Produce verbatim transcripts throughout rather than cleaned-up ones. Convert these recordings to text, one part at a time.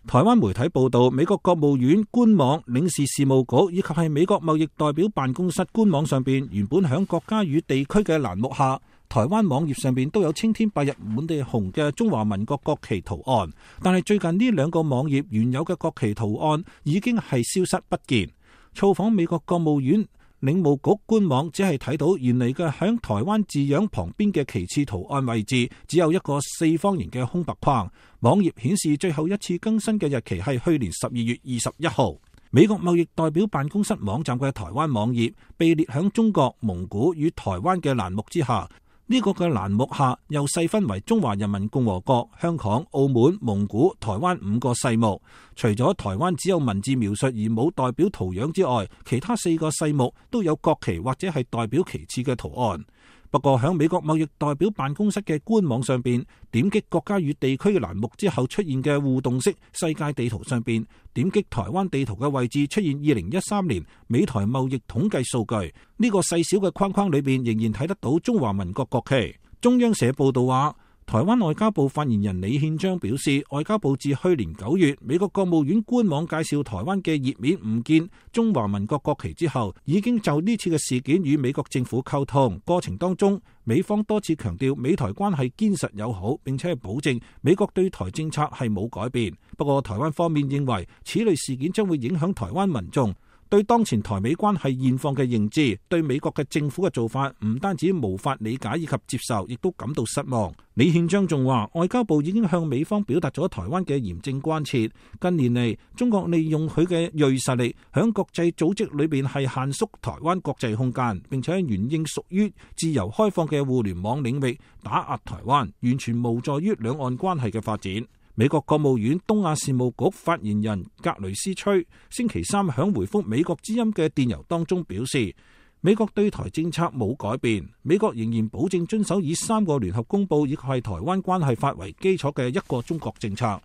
台灣媒體報道，美國國務院官網、領事事務局以及係美國貿易代表辦公室官網上邊，原本響國家與地區嘅欄目下，台灣網頁上邊都有青天白日滿地紅嘅中華民國國旗圖案，但係最近呢兩個網頁原有嘅國旗圖案已經係消失不見。造訪美國國務院領務局官網，只係睇到原嚟嘅響台灣字樣旁邊嘅旗幟圖案位置只有一個四方形嘅空白框。網頁顯示最後一次更新嘅日期係去年十二月二十一號。美國貿易代表辦公室網站嘅台灣網頁被列響中國、蒙古與台灣嘅欄目之下。呢個嘅欄目下又細分為中華人民共和國、香港、澳門、蒙古、台灣五個細目。除咗台灣只有文字描述而冇代表圖樣之外，其他四個細目都有國旗或者係代表旗幟嘅圖案。不過喺美國貿易代表辦公室嘅官網上邊，點擊國家與地區嘅欄目之後出現嘅互動式世界地圖上邊，點擊台灣地圖嘅位置出現二零一三年美台貿易統計數據。呢個細小嘅框框裏邊仍然睇得到中華民國國旗。中央社報道話，台灣外交部發言人李憲章表示，外交部自去年九月美國國務院官網介紹台灣嘅頁面唔見中華民國國旗之後，已經就呢次嘅事件與美國政府溝通，過程當中美方多次強調美台關係堅實友好，並且係保證美國對台政策係冇改變。不過台灣方面認為此類事件將會影響台灣民眾對當前台美關係現況嘅認知，對美國嘅政府嘅做法唔單止無法理解以及接受，亦都感到失望。李憲章仲話，外交部已經向美方表達咗台灣嘅嚴正關切。近年嚟，中國利用佢嘅銳實力，響國際組織裏邊係限縮台灣國際空間，並且沿應屬於自由開放嘅互聯網領域打壓台灣，完全無助於兩岸關係嘅發展。美國國務院東亞事務局發言人格雷斯崔星期三響回覆美國之音嘅電郵當中表示，美國對台政策冇改變，美國仍然保證遵守以三個聯合公報以及係台灣關係法為基礎嘅一個中國政策。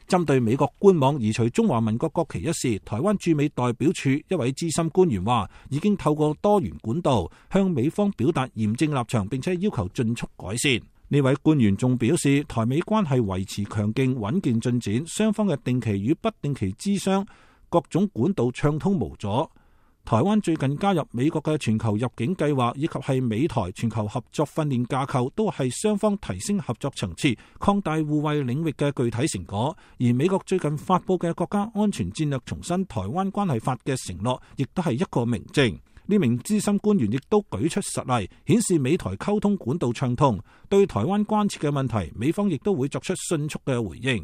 針對美國官網移除中華民國國旗一事，台灣駐美代表處一位資深官員話，已經透過多元管道向美方表達嚴正立場，並且要求盡速改善。呢位官員仲表示，台美關係維持強勁穩健進展，雙方嘅定期與不定期諮商各種管道暢通無阻。台灣最近加入美國嘅全球入境計劃以及係美台全球合作訓練架構，都係雙方提升合作層次、擴大互惠領域嘅具體成果。而美國最近發佈嘅國家安全戰略重申台灣關係法嘅承諾，亦都係一個明證。呢名資深官員亦都舉出實例，顯示美台溝通管道暢通，對台灣關切嘅問題，美方亦都會作出迅速嘅回應。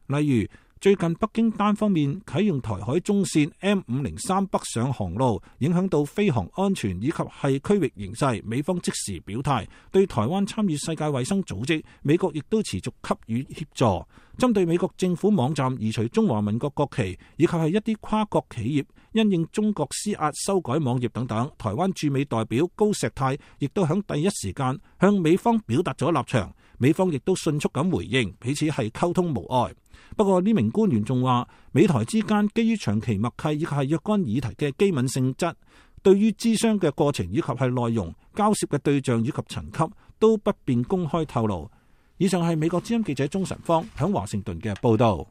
例如，最近北京單方面啟用台海中線 M 五零三北上航路，影響到飛航安全以及係區域形勢，美方即時表態，對台灣參與世界衛生組織，美國亦都持續給予協助。針對美國政府網站移除中華民國國旗，以及係一啲跨國企業因應中國施壓修改網頁等等，台灣駐美代表高石泰亦都響第一時間向美方表達咗立場，美方亦都迅速咁回應，彼此係溝通無礙。不過呢名官員仲話，美台之間基於長期默契以及係若干議題嘅機敏性質，對於諮商嘅過程以及係內容、交涉嘅對象以及層級都不便公開透露。以上係美國之音記者鍾晨芳響華盛頓嘅報道。